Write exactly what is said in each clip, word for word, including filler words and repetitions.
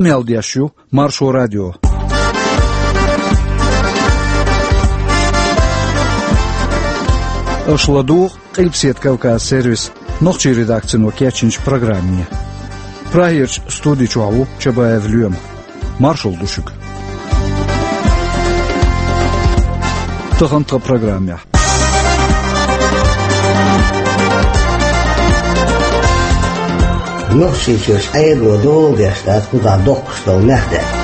Къамел деш ю Маршо радио. Аша ладугӀу Къилбаседа Кавказ сервисан нохчийн редакцино кечйинчу программе. Прагерчу студи чохь ву Чабаев Лоьма. Маршалла ду шуьга. Тахана тхан программехь. Нохчийчуьра Ӏедало дола деш дац кхузахь доккхуш долу мехкдаьтта.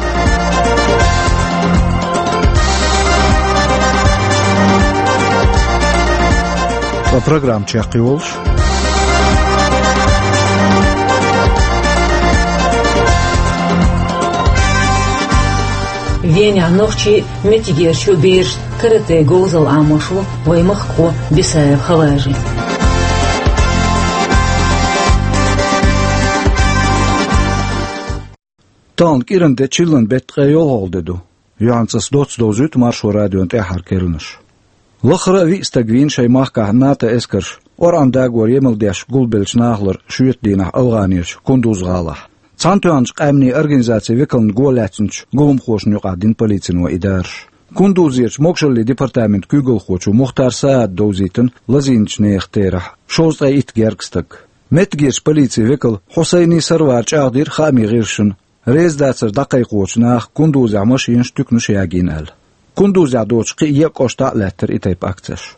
Ткъа программа чекхйолуш. Венехь нохчий, меттигерчу бераш карате говзалла Ӏамош ву вайн махкахо Бисаев Халажи. Тахана кӀиран де, чиллан беттан ткъе йолхалгӀа де ду. Юьхьанца ас доцца довзуьйту Маршо радион тӀаьххьара керланаш. Лаххара а виъ стаг вийна шайн махкахь НАТО эскарша, ОрӀан дагора емал деш гулбеллачу нахалара шоьтан дийнахь АвгӀанерчу Кундуз-гӀалахь. Цхьаьнатоьхначу Къаьмнийн Организацин векална го лаьцначу гуламхошна юкъахь дина полицино и дараш. Кундузерчу могашаллин департаментан куьйгалхочо Мухтар Саада довзийтина лазийначу нехан терахь шовзткъе итт гергга стаг. Меттигерчу полицин векала Хьусайни Сарвара чӀагӀдира хаамийн гӀирсашна, реза дацар дӀакхайкхочу наха Кундузехь машенаш, туьканаш ягийна аьлла. Кундузехь доцучу кхин а кӀоштахь а лаьттара и тайпа акцеш.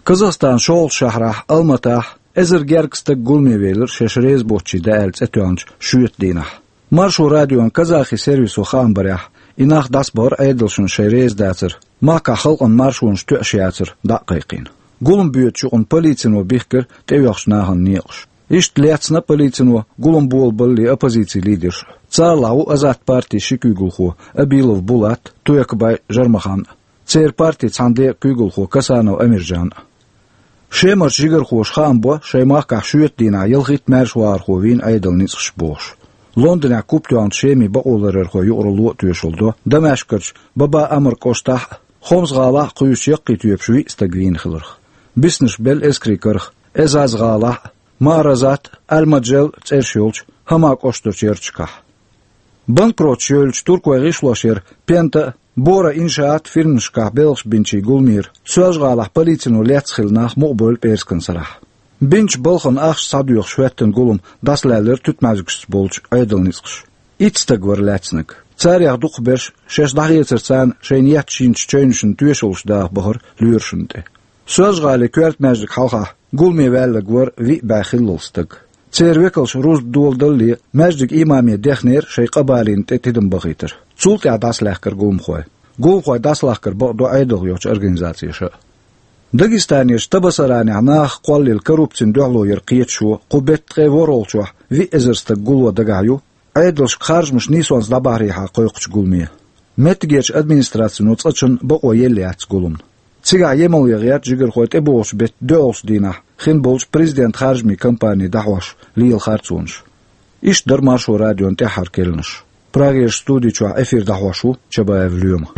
Казахстанан шолгӀачу шахьарахь Алматахь эзар гергга стаг гуламе велира шаьш реза боцчу дӀа аьлла цӀе тоьхначу шоьтан дийнахь. Маршо радион казахи сервисо хаам барехь, и нах дӀасабахара Ӏедалшна шайн реза дацар махкахь халкъан маршонаш тоьаш яцар дӀа а кхайкхийна. Гулам боьдучу юкъана полицино бихкира тӀеоьхучу нахана некъаш. Иштта лецна полицино гулам болабаллалц оппозицин лидерш. Царалахь ву Азат партин ши куьйгалхо Абилов Булат, Туякбай Жармахан а, церан партин цхьана декъан куьйгалхо Касанов Амиржан а. Шемарчу жигархоша хаам бо шайн махкахь шоьтан дийнахь ялхитта маьршавахархо вийна Ӏедалан ницкъаша бохуш. Лондонехь куп тоьхначу Шеман бакъоларъярхойн юкъаралло а тоьшалла до Дамаскарчу Баба Амр кӀоштахь а, Хомс-гӀалахь а кхуьйсучу яккхий тоьпаш виъ стаг вийна хиларх. Биснарш белла эскарийн карах Эзаз-гӀалахь а, Мааразат а, Аль-Маджел а цӀераш йолчу Хама кӀоштарчу ярташкахь. Банкроташ йевллачу туркойн гӀишлошъяран Пента а, Бора Иншаат а фирманашкахь белхаш бинчийн гуламера Соьлжа-ГӀалахь полицино лецна хилла нах мукъабевлла пӀераскан сарахь. Бинчу балхана ахча схьадоьхуш хӀоьттина гулам дӀасалаьллера туьтмӀаьжгашца болчу Ӏедалан ницкъаша. Итт стаг вара лаьцнарг. Царех дукхахберш шаьш дӀахецар царна шайна етташ йинчу чевнашна тоьшаллаш даха бахара лоьрашна тӀе. Соьлжа-ГӀалин коьрта маьждигна хьалха гуламе ваьлларг вара виъ бӀе хиллал стаг. Церан векалша рузба доладалале, маьждиган имаме дехнера шайн къа балийна тӀе тидам бахийтар. Цул тӀаьхьа дӀасалаьхкира гуламхой. Гуламхой дӀасалахкар бакъдо Ӏедалх йолчу организацеша а. Дагестанерчу Табасаранехь нахах кхоллаелла коррупцина дуьхьало яр кхеташо кху беттан ткъе ворхӀалгӀачохь виъ эзар стаг гуло дагахь ю, Ӏедалшка харжамаш нийсонца дӀабахьарехьа кхойкхучу гуламе. Меттигерчу администрацино цкъачунна бакъо елла яц гуламна. Цигахь емал ян гӀерта жигархой тӀебогӀучу беттан доьалгӀачу дийнахь хин болчу президентан харжамийн кампани дӀахьош лела харцонаш. Иштта дара Маршо радион тӀаьххьара керланаш. Прагерчу студи чохь эфир дӀахьош ву Чабаев Лоьма.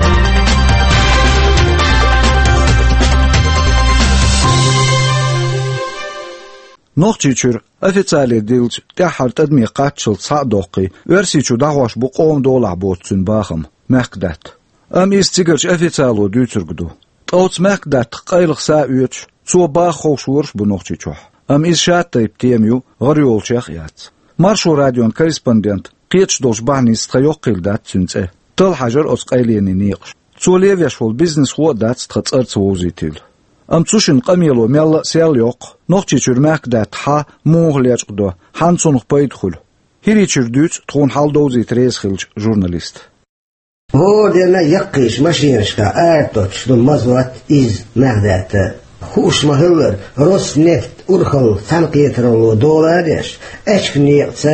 Нохчийчуьра официале диллича тӀаьххьара тӀадаме кхаччалц схьа а доккхий, Оьрсийчу дӀахьош бу къоман долахь боцу цуьнан бахам, мехкдаьтта. Амма иза цигарчу официало дуьйцург ду. Ткъа оцу мехкдаттах къайлаха са а оьцуш, цо баха ховшораш а бу Нохчийчохь. Амма иза шатайпа тема ю, гӀара йолчех а яц. Маршо радион корреспондент кхеташ долчу бахьаница тхан йоккхийла дац цуьнан цӀе. Талла хьажар оцу къайленийн некъаш. Цо левеш волу бизнесхо а дац тхан цӀарца вовзийтийла. Амма цу шинна къамело мелла а сел йоккху, Нохчийчуьра мехкдатта хьан муха лечкъадо, хьанна цунах пайда хуьлу. ХӀирийчуьра дуьйцу тхуна хьал довзийта реза хиллачу журналиста. Вон дена яккхийчу машенашкахь арадоцуш ду мазот, иза мехкдаьтта. Хууш ма-хиллара, Роснефть урхалла цхьаьнакхетаралло дола а деш, аьчка некъаца,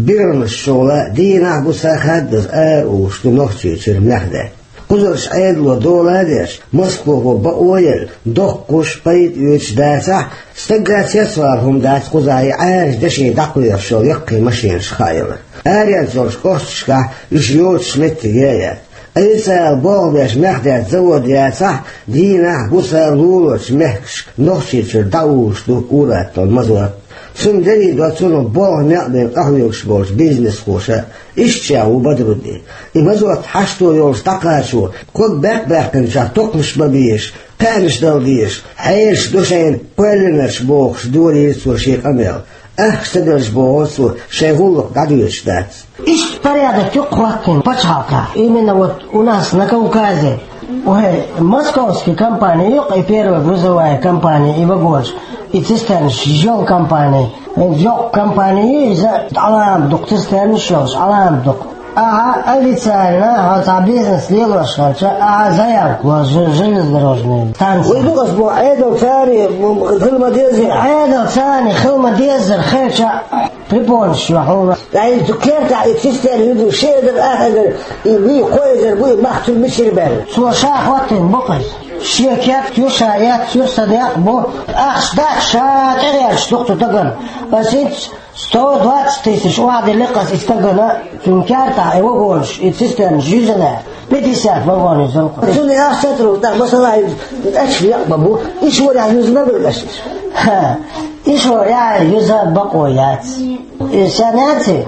биргӀанаш шолгӀа дийнахь а, буса а хаддаза ара уьллуш ду Нохчийчуьра мехкдаьтта. Кхузарчу Ӏедало дола а деш, Москвахо бакъо а елла, доккхуш, пайда оьцуш дацахь а, стагга цецвала хӀума дац кхузахь и Ӏаьржа деши дӀакхоьхьуш йолу яккхий машенаш хаа ялар. Аренца йолчу кӀошташкахь уьш йоцуш меттиге а яц. Ткъа цара болх беш мехкдаьтта завод яцахь а, дийнахь а, буса а луларчу мехкашка Нохчийчуьра дӀауллуш ду ур-атталла мазот. Цунна дерриг а цунах болх некъ бен къахьоьгуш болчу бизнесхоша, иштта ша ву Бадруддин. И мазот хьашто йолуш дӀакхачо, ког баьккхина баьккхинчохь токхамаш ма безаш, кхаьнаш дала дезаш, хьераш ду шайна кхоьллинарш бохуш, дорийра цо шен къамел. Ахча ца делча боху цо, шайн гӀуллакх дӀадоьдуш дац. Иштта порядок ю-кх хӀоттийна пачхьалкхехь. Именно вот у нас на Кавказе. Ой, московский компания ю-кх и первая грузовая компания, и вагонаш, и цистернаш йолу компания. Йоккха компания ю иза, Ӏаламат дукха цистернаш йолуш, Ӏаламат дукха. Ахьа официально хьо цхьа бизнес лелош хилча, ахьа заявка ло жу-, железнодорожная станция. Вай ду ас бо Ӏедал царий, м, хила ма деза. Ӏедал царий хила ма дезара хилча, препонаш ю хьуна. Ай, цу кертахь и цистерна ю ду, ши эзар, ах эзар, и вуй, кхо эзар вуй, мах цуьнан мичара баьлла. Цо ша хӀоттийна бу-кх иза. Шен керт ю, ша эцна ю, сан некъ бу. Ахча дац, ша тӀегӀерташ ду-кх цу стагана. Ас хӀинца сто двадцать тысяч охьадиллира-кх ас и стагана, цуьнан кертахь и вагонаш, и цистернаш юьзна. Пятьдесят вагон юьзна-кх. Цунна ахча ца тарлуш, тӀаккха масала, и аьча некъ ма бу, и шорехь юьзна ма бу аша. Ха, и шорехь юьза бакъо яц. И сенаци,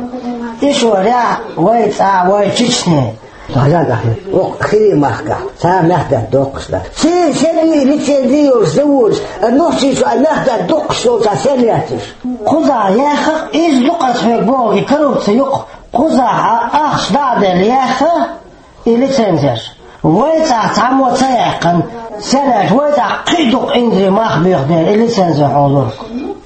и шорехь вай цӀа, вай Чечне. Хьажа, Ахьмад, оха хире махкахь, цара мах бетта доккхуш дац. Церан сенний лицензи йолуш заводаш, а нохчий чу а мах бетта доккхуш йолчохь сен яц уьш? Кхузахь яьхна, иза ду-кх ас хьоьга боху, и коррупци ю-кх. Кхузахь а ахча дӀа а делла яьхна, и лицензеш. Вай цӀахь цхьаммо ца яьккхина, сенаш вай цӀахь кхин а дукха инзаре мах боьху дела, и лицензи хьолура.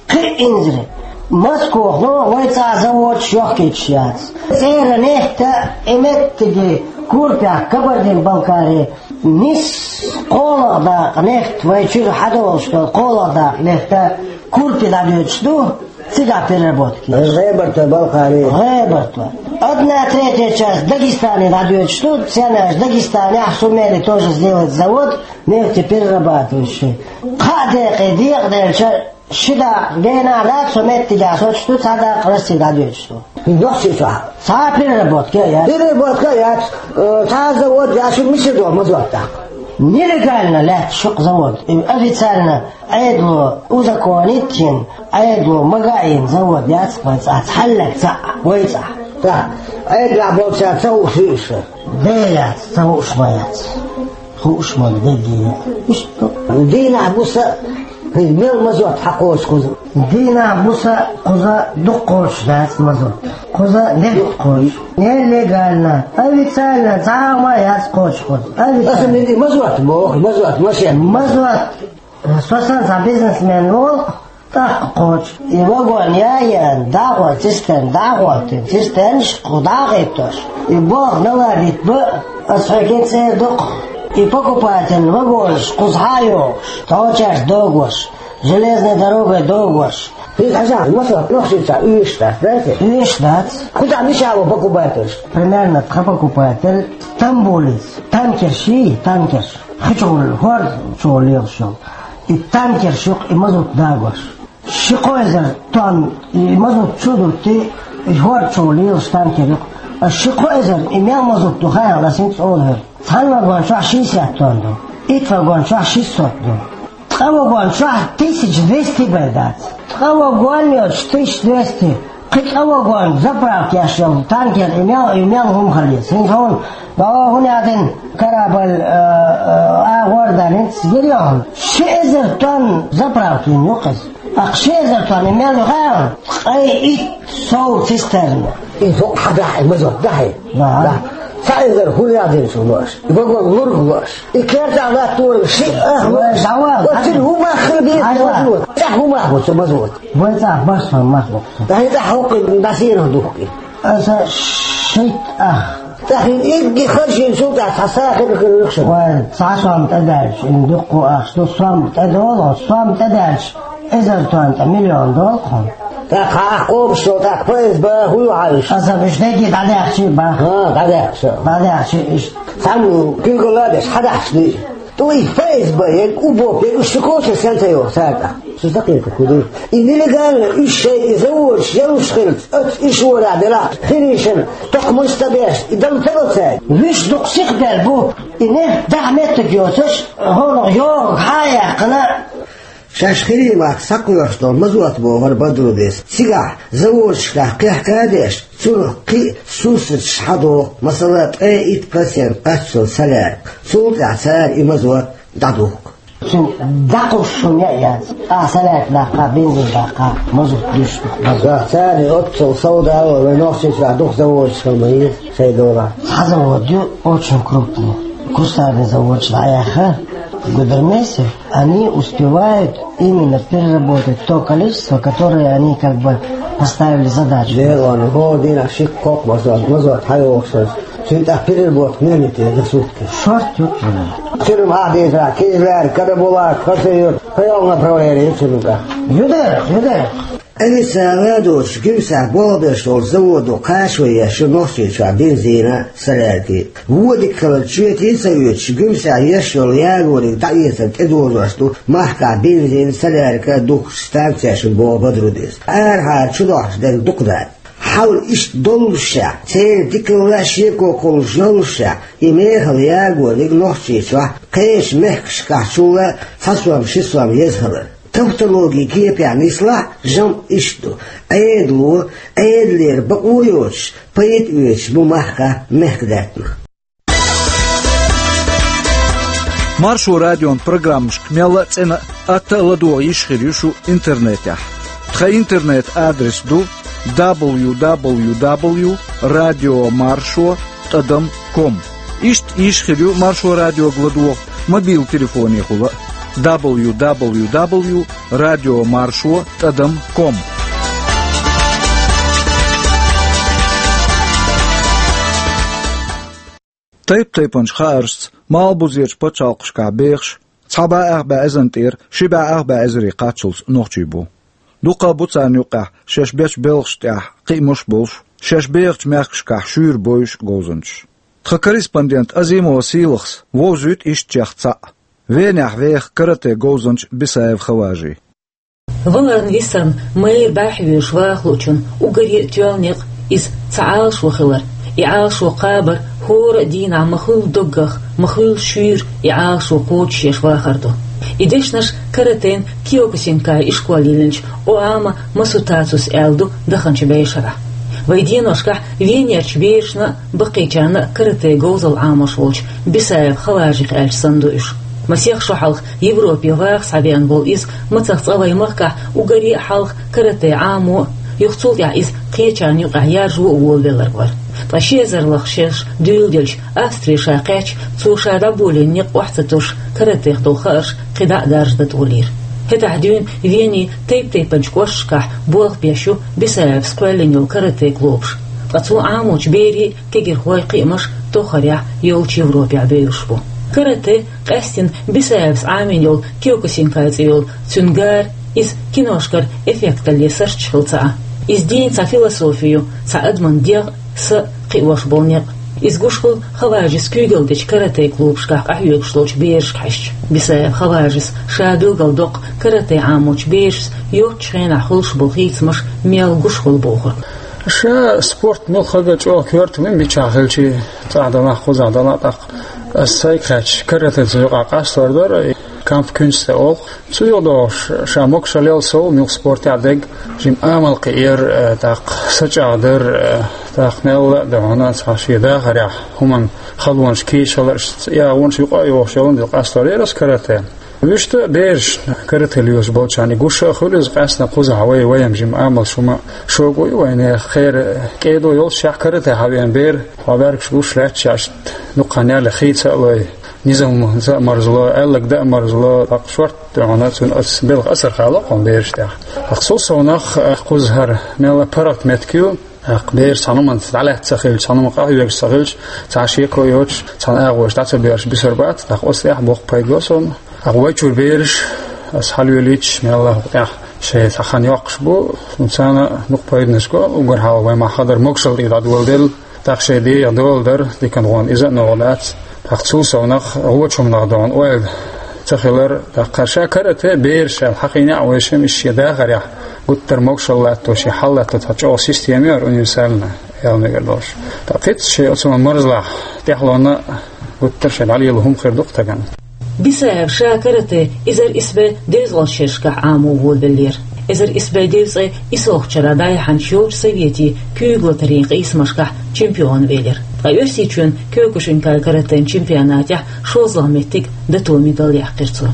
Кхин а инзаре. Москохано вай цӀахь заводаш йохкуьйтуш яц. ЦӀера нефть а, и меттиге Курпехь, Кабардин-Балкари, нисса кхоалгӀа дакъа нефть, вай чуьра хьадолуш долу кхоалгӀа дакъа нефть а Курпе дӀадоьдуш ду. Цигахь переработка еш. ГӀебарта, Балкхари. ГӀебарта. Одна третья часть Дагестане дӀадоьдуш ду, ценаш Дагестанехь сумели тоже сделать завод нефтеперерабатывающий. Кхаа декъе декъаделча, ши дакъа генахь дац, цу меттигехь соцуш ду, цхьа дакъа Россия дӀадоьдуш ду. Нохчийчохь. Цхьа переработка яц. Переработка яц, э, цхьа завод яц, шу мичара доху мазот тӀаккха? Нелегально лаьтташ ю-кх завод. И официально Ӏедало узаконить йина, Ӏедало магийна завод яц вай цӀахь, цхьаллаг цхьаъ вай цӀахь. ТӀаккха Ӏедалехь болчара ца хууш ю уьш? Де яц, ца хууш ма яц. Хууш ма ду дегге а. Иштта. Дийнахь-буса, хӀай, мел мазот хьакхочу кхуза? Дийнахь-буса кхуза дукха кхочуш дац мазот. Кхуза нефть кхочу. Нелегально, официально, цхьа а ма яц кхочуш кхуза. Аса Официально. Мин и мазот боху, мазот, машен. Мазот. Со санна цхьа бизнесмен волу, тӀаккха кхочу. И вагон яйан, дӀагӀо, цистерн дӀагӀоттина, цистернаш кху дӀагӀиттош. И болх наладить бан, аса хьоьга цӀера ду-кх. И покупатель вагонаш кхуза хьа а йохуш, тхьочаьрца догош, железной дорогой догош. Хьийза хьажахь, масала, нохчийчохь уьш дац, дац? Уьш дац. Кхузахь мичахь ву покупательш? Примерно тхан покупатель Стамбулица. Танкерш йий, танкерш. Хи чу гӀур, хӀор чу гӀур лелаш йолу. И танкерш ю-кх и мазут дагош. Ши-кхо эзар тонн и мазут чу а дутти, и хӀор чу гӀур лелаш танкер ю-кх. Ас ши-кхо эзар и мел мазут ду хаьа, ас хӀинца олу хӀара. Цхьана вагон чохь шестьдесят тонн ду, итт вагон чохь шестьсот ду. Ткъа вагон чохь тысяча двести бен дац. Ткъа вагон йоцуш тысяча двести. Кхин цкъа вагон заправка еш йолу танкер и мел, и мел хӀума хилийта. ХӀинца хьуна, догӀу хӀун яздина, корабль, э, э, агӀор дан, хӀинца гира йоху. Ши эзар тонн заправка йина ю-кх иза. Аккха ши эзар тонн и мел ю хаьа? Ткъе итт сов цистерна. И хӀокху хьан дахьа, и мазот дахьа? Да. Да. Цхьа эзар хӀун яздина шу лоош? И вагон лург лоош? И кертахь латтор ши ах. Вай, давай. Оццул хӀумах хила беза. Айва. Мазот. ЦӀахь хӀумах бу цу мазот? Вай цӀахь бархӀ сом мах бу цу. Дай цӀахь хӀокху дӀасийрах духку. Аса шийтта ах. ТӀаккха хӀинца игги харжийна цул тӀаьхьа цхьа сахар хир вуьйху шуна. Вай, цхьа сом тӀедаьлча, хӀинца дуккха ах ду, сом тӀедолу, сом тӀедаьлча, эзар тонн тӀе миллион долу хьуна. ТӀаккха хьан къобуш йолу, тӀаккха П С Б хӀун ю хьан уьш? Аса уьш дерриге дӀадаьхчи бан. ХӀан, дӀадаьхча. ДӀадаьхчи иштта. Цхьаммо куьйгалла а деш, хьан дахьаш дуй? Ту и Ф С Б, я УБОП, я уьш шу коча сен ца йоху цаьрга? Шу закъерта хуьлу. И нелегально уьш шайн и заводаш ялуш хилча, оцу уьш ворахь делахь, хирийшина, токхамаш ца беш, и дала ца до цаьрга. Вуьш дукха сиха бер бу, и нефть дахьа меттиг йоцуш, хӀунах йогӀу хьан а яьккхина, Шаьш хиримах схьакхоьхьуш долу Мазот бохура Бадрудис. Цигахь заводашкахь кхехка а деш, цунах кхин а сурсаташ схьадоху, масала, ткъе итт процент кхаччалц солярка. Цул тӀаьхьа цара и Мазот дӀадухку. Цуьнан дӀакхуссуш хӀума яц. Ахьа солярка даккха, бензин даккха, мазут дуьсуш ду. Мазут. Цара оццул сов дало, вайн Нохчийчохь дукха заводаш хила ма еза шайн долахь. Цхьа завод ю, очень крупный. Кустарный заводаш дӀаяьхна, Гудермесе, они успевают именно переработать то количество, которое они как бы поставили задачу. Дера ван, хӀора дийнахь ши-кхо Мазот, Мазот хьайогӀуш. Цуьнан тӀаккха переработка муьлханиг деза сутки? Шорта ю. Цуьнан хьахдеза, Кизляр, Карабулак, Хасавюрт, кхин йолу направление ю цуьнан тӀаккха? Ю дера, ю дера. Официально доцуш Гуьмсехь болх беш долчу заводо кхачо еш ю Нохчийчохь бензин а, солярка а. Вон дика хилар чоьте а ца оьцуш, Гуьмсехь еш йолу ягориг дӀаэцар тӀедожош ду махкахь бензин а, солярка а духкучу станцешна, боху Бадрудис. Арахьара чу дохьуш дерг дукха дац. Хьал иштта доллушехь, церан дикалла а шеко кхуллуш йоллушехь, и мехала ягориг Нохчийчохь, кхечу мехкашкахьчул а цхьа сом, ши сом еза хилар. Тавтологи кепехь нислахь, жамӀ иштта ду: Ӏедало, Ӏедалера бакъо йоцуш, пайда оьцуш бу махкахь мехкадаьттанаш. Маршо радион программашка мелла а цӀена а, атта а ладогӀа йиш хир ю шу интернетехь. Тхан интернет-адрес ду: дабл ю дабл ю дабл ю радио маршо тӀадам ком. Иштта йиш хир ю Маршо радиога ладогӀа мобил телефонехула а: дабл ю дабл ю дабл ю радио маршо тӀадам ком. Тайп-тайпанчу хааршца малхбузерчу пачхьалкхашкахь бехаш, цхьа бӀе ах бӀе эзарна тӀера ши бӀе ах бӀе эзаре кхаччалц нохчий бу. Дукха бу царна юккъехь шаьш бечу белхаш тӀехь кхиамаш а болуш, шаьш бехачу мехкашкахь шуьйра бойуш а говзанчаш. Тхан корреспондент Азимова Сийлахьас вовзуьйту иштачех цхьаъ, Венехь веха карате говзанча Бисаев Хаважи. Валарна висарна майра бӀаьхьа воьдуш ваха луучунна уггаре а тоьлла некъ иза цхьа Ӏалашо хилар. И Ӏалашо кхабар хӀора а дийнахь ма-хуьллу доггах, ма-хуьллу шуьйра и Ӏалашо кхочушъеш вахар ду. И дешнаш каратен Киокусинкай ишколе йиллинчу Оама Масутацус аьлла ду даханчу бӀешарахь. Вайн деношкахь Венерчу берашна а, баккхийчарна а карате говзалла Ӏамош волчу Бисаев Хаважих аьлча санна ду уьш. Масех шо хьалха Европе ваха схьавеана волу иза мацах цкъа вайн махкахь уггаре а хьалха карате Ӏамо а, юха цул тӀаьхьа иза кхечарна юкъахь яржо а волавелларг вара. Ткъа ши эзар лахара шераш дуьйладелча Австре ша кхаьчча, цо ша дӀаболийна некъ охьа ца туьсуш, каратех долу хаарш кхидӀа а даржадан тӀе лелийра. ХӀетахь дуьйна Венин тайп-тайпанчу кӀошташкахь болх беш ю Бисаевс кхоьллина йолу карате клубаш. Ткъа цо Ӏамочу берийн а, кегийрхойн а кхиамаш тоххарехь йолчу Европехь бевзаш бу. Карате къаьстина Бисаевс Ӏамийна йолу Киокусинкай цӀе йолу цуьнан гара, иза киношкара эффекталле сурташ хила ца Ӏа. Иза дийна цхьа философи ю, цхьа адаман дегӀ, са кхиош болу некъ. Иза гуш хуьлу Хаважис куьйгалла дечу карате клубашкахь къахьоьгуш долчу берашка хьаьжча. Бисаев Хаважис ша билгалдоккху карате Ӏамочу берашца йоцчу хенахь хуьлуш болу хийцамаш мел гуш хуьлу бохург. Ша спорт муьлхха а чӀогӀа коьрта ву, мичахь хилча, цӀахь делахь, кхузахь делахь, тӀаккха ас сайга хаьттича, каратеца юкъахь къастор дара, кампф-кюнсте олу. Цу юкъа догӀуш, ша могушалла яьлла сов, муьлхха спортехь дерг, жимма амал кхиар, э, тӀаккха сачӀагӀдар, э, тӀаккха мелла а ду хьуна цхьа шен дахарехь хӀуманна халонаш кийча хилар, иш ца ягӀонаш юкъа а йохуш йолу дела къастор яра ас карате. Вуьшта бераш карате лоьцуш болчарна гуш а хуьлу иза, къаьсттина кхузахь вай, вайна жимма амалш хӀума шога ю вайна, хера кӀеда йолччехь карате хьавеана бер, хьо бӀаьргаш гуш лаьтташ, иштта дукха хан ялале хийца а лой, низамца а марзло, аьлларг дан а марзло, тӀаккха шорт ду хьуна цуьнан ас белхан асар хало кхунна бераш тӀехь. ТӀаккха цул совнах, а, кхузахь хӀара мелла а паргӀат меттиг ю, тӀаккха бераш цхьана хӀуманца дӀалаьцна ца хилча, цхьана хӀуманна къахьоьгуш ца хилча, цхьа шеко йоцуш, цхьана агӀор дӀа ца боьрзуш бисур бац, тӀаккха оцу тӀехь боккха пайда ло суна. ТӀаккха вай чуьра бераш ас хьалавелийташ, мелла а хӀокху тӀехь шайн цхьа хан йоккхуш бу, царна дукха пайданаш го, уггар хьалха вай махкахь хадара могушалла тӀе дӀадоладелла, тӀаккха шайн дегӀан дола дара, диканхоша иза а новкъа дац. ТӀаккха цул совнах гӀочу хӀуманах догӀун ойла ца хилар, тӀаккха ша карате бераш аьлла хьахийна а вайша, иш шен дахарехь гуттар а могушалла латто, шен хьал латто цхьа чӀогӀа система ю хӀара универсальная, аьлла мегар долуш. ТӀаккха кхин а шен оцу марзлахь тӀаьхьалонна гуттар а шайн дӀалело хӀума хир ду-кх стагана. Бисаев ша каратэ эзар исс бӀе дезткъа шерашкахь Ӏамо волавеллера. Эзар исс бӀе дезткъе иссалгӀачу шарахь дӀаяхьначу йолчу советийн куьйгалла тарийн къийсамашкахь чемпион велира. Ткъа Оьрсийчоьнан Кёкушинкай каратэн чемпионатехь шолгӀа меттиг, датоми медаль яьккхира цо.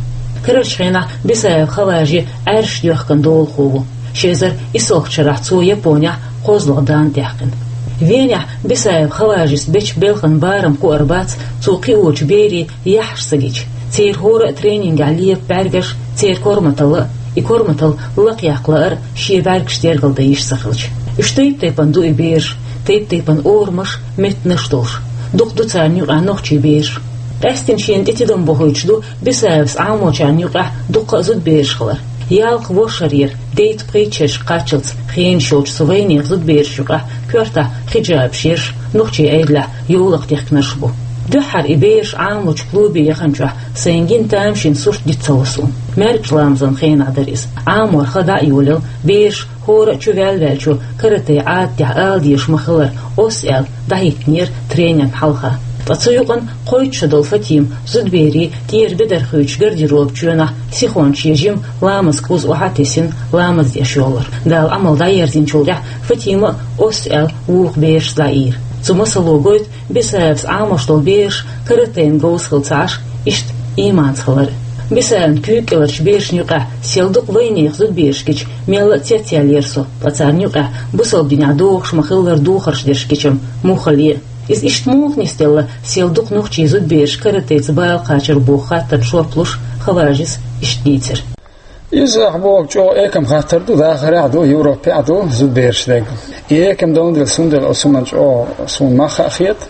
Карарчу хенахь Бисаев Хаважи Ӏаьржа доьхкан долахо ву. Ши эзар иссалгӀачу шарахь цо Японехь кхозлагӀа дан даьккхина. Венехь Бисаев Хаважис бечу белхан барам кхуьур бац, цо кхиочу берийн яххьаш ца гича. Церан хӀора а тренингехь лепа бӀаьргаш, церан корматалла а, и корматалла лакхаяккха лаар а шен бӀаьргашца яргалла дан йиш ца хилча. Уьш тайп-тайпана ду и бераш, тайп-тайпана орамаш, меттанаш долуш. Дукха ду царна юкъахь нохчийн бераш. Къаьсттина шена тӀе тидам бохуьйтуш ду Бисаевс Ӏамочарна юкъахь дуккха а зудабераш хилар. Ялх-ворхӀ шарера дейтта-пхийтта шерашка кхаччалц хенаш йолчу цу вайнехан зудаберашна юкъахь коьртахь хиджабаш ерш, нохчийн Ӏедалехь йовлакх дихкинарш бу. Дуьххьара и бераш Ӏамочу клубе яханчохь сайн гина тамашийна сурт дита ца ло суна. МаьркӀажа ламазан хенахь дара иза. Ӏамор хан дӀа а йолаелла, бераш хӀора а чу ваьлла ваьллачо каратэ Ӏадатехь ала дезаш ма-хиллара, оссу аьлла, дӀахӀиттинера тренерна хьалха. Ткъа цу юкъана кхойтта шо долу Фатима зудаберийн тӀера бедар хуьйцуш гардеробан чоьнахь сихонца шен жима ламазан кхуза охьа а тесина, ламаз деш йоллура. Дала Ӏамал дӀаерзинчул тӀаьхьа Фатима а оссу аьлла вукху берашца дӀаийра. Цу масало гойту Бисаевс Ӏамош долу бераш каратэн говза хила ца Ӏаш, иштта ийманца хилар. Бисаевн куьйга кӀеларчу берашна юкъахь сел дукха вайнехан зудабераш гича, мелла а цецъяьллера со, ткъа царна юкъахь бусалба динехь догӀуш ма-хиллара духарш дерш гича-м муха хиллий. Иза иштта муха нисделла, сел дукха нохчийн зудабераш каратэца бала кхачар боху хаттарна жоп луш, Хаважис иштта дийцира. Иза ахь боху чӀогӀа экам хаттар ду, дахарехь а ду, Европехь а ду зудабераш дерг. И экам долун дела, цундела оцу хӀуманна чӀогӀа суна мах а хета,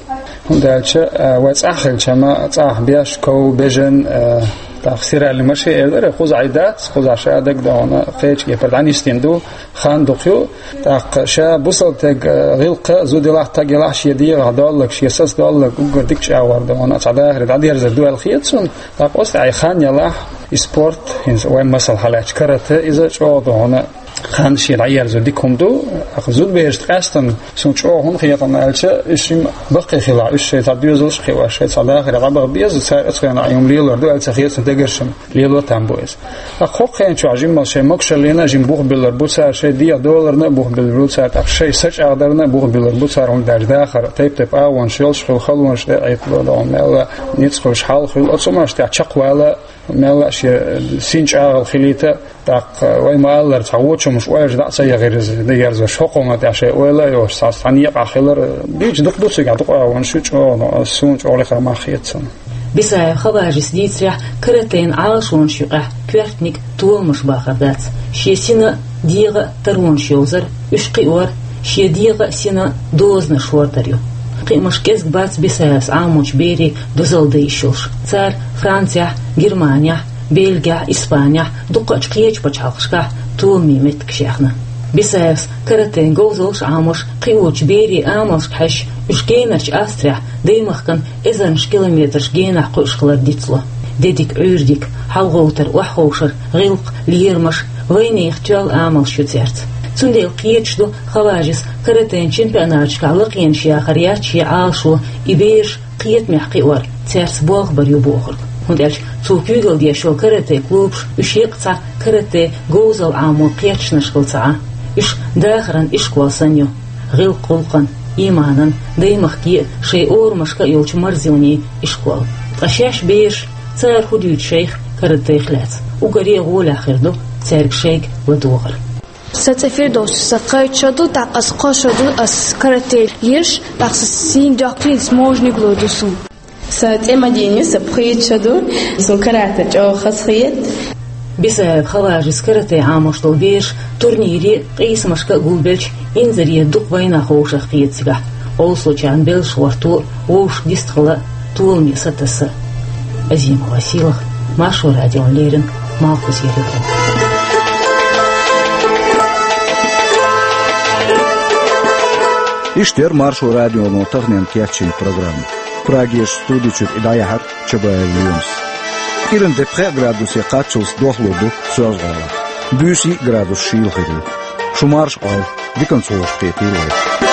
хӀунда аьлча, а, вай цӀахь хилча-м, цӀахь беш, ков, бежан, а, тӀаккха стиральный машин эр дара, кхузахь и дац, кхузахь ша дагадогӀуна кхечу кепара дӀанисдина ду, хан дукха ю. ТӀаккха ша бусалба стаг, а, гӀиллакх а, зуда елахь, стаг елахь, шен дегӀах долларг, шен саца долларг уггар дика чӀагӀор ду, хьуна цхьа дахаре дӀадерзар ду аьлла хета суна. ТӀаккха оцу тӀехь и хан елахь, и спорт, хӀинца вайн масал хьалаьцча карате, иза чӀогӀа ду хьуна хан шен дӀаерзо дика хӀума ду. ТӀаккха зудаберашна къаьстина суна чӀогӀа хӀунда хета аьлча, уьш шимма баккхий хилахь, уьш шайн цхьа доьзалш а кхиош, шайн цхьа дахаре дӀабаха беза, цара оцу хенахь и хӀума лелор ду аьлла ца хета суна, дегнаш-м лело там бу иза. ТӀаккха хӀокху хенан чохь жимма шайн могушаллина а жимма бух биллар бу цара, шайн дегӀ доларна а бух биллар бу цара, тӀаккха шайн са чӀагӀдарна а бух биллар бу цара, хӀунда аьлча дахар тайп-тайпа агӀонаш йолуш хуьлу, халонаш тӀе а Ӏиттало догӀу, мелла а ницкъ хуьлуш хьал хуьлу, оцу хӀуманаш тӀехь чекхвала, мелла а шен син чӀагӀо хилийта, тӀаккха вай ма-аллара, цхьа вочу хӀуманаш ойла дӀа а ца яхара иза, дӀаерзош, хӀокху хӀуманна тӀехь шайн ойла а йолуш, цхьа, цхьа некъахь хилар, дийца дукха ду цигахь, дукха агӀонаш ю, чӀогӀа, суна чӀогӀа лехара мах хета цунна. Бисаев Хаважис дийцарехь, каратейн Ӏалашонаш юкъахь коьртаниг толамаш бахар дац. Шен сина а, дегӀа а таронаш йовзар, уьш кхиор, шен дегӀа а, сина а дозанаш хӀордар ю. Кхиамаш кӀезиг бац Бисаевс Ӏамочу берийн дозалла дан йиш йолуш. Цара Францехь, Германехь, Бельгехь, Испанехь, дуккхачу кхечу пачхьалкхашкахь толамийн меттигаш яьхна. Бисаевс каратейн говзаллаш а Ӏамош, кхиочу берийн амалшка хьаьжча, уьш генарчу Австрехь даймахкана эзарнаш километраш генахь кхуьуш хилар дицло. Де дика, Ӏуьйре дика, хьалагӀовтар, охьаховшар, гӀиллакх, лерамаш, вайнехан тоьлла амалш ю цаьрца. Цундела кхеташ ду Хаважис каратейн чемпионаташкахь лакхенаш яхар яц шен Ӏалашо, и бераш кхетамехь кхиор цаьрца болх бар ю бохург. ХӀунда аьлча цо куьйгалла деш йолу карате клубаш, уьш еккъа цхьа карате говзалла Ӏамо кхеташонаш хилла ца Ӏа. Уьш дахаран ишкол санна ю. ГӀиллакх-гӀуллакхан, ийманан, даймахкан а, шайн орамашка а йолчу марзонийн ишкол. Ткъа шаьш бераш, цара хӀун дуьйцу шайх каратех лаьцна? Уггаре а гӀолехь хир ду цаьрга шайга ладогӀар. Сан цӀе Фирдовс, сан кхойтта шо ду, тӀаккха ас кхо шо ду, ас карате еш, тӀаккха сан сийна доьхкинца можниг ло ду суна. Сан цӀе Мадина, сан пхийтта шо ду, суна карате чӀогӀа хазахета. Бисаев Хаважис карате Ӏамош долу бераш турнире а, къийсамашка а гулбелча, инзаре дукха вайнах вовшах кхета цигахь, олсучарна белш гӀортор, вовшах дистхила, толаме сатасса. Азима Василах, Маршо радион леррина, Малхбузера Иван. Иштта яра Маршо радионо таханлерчу кечйина программа. Прагерчу студи чуьра и дӀаяьхьира Чабаев Лемас. КӀиранде пхеа градусе кхаччалц дохлур ду Соьлжа-ГӀалахь. Буьйса йиъ градус шийла хир ю. Шу марша Ӏойла, диканца вовшахкхетийла вай.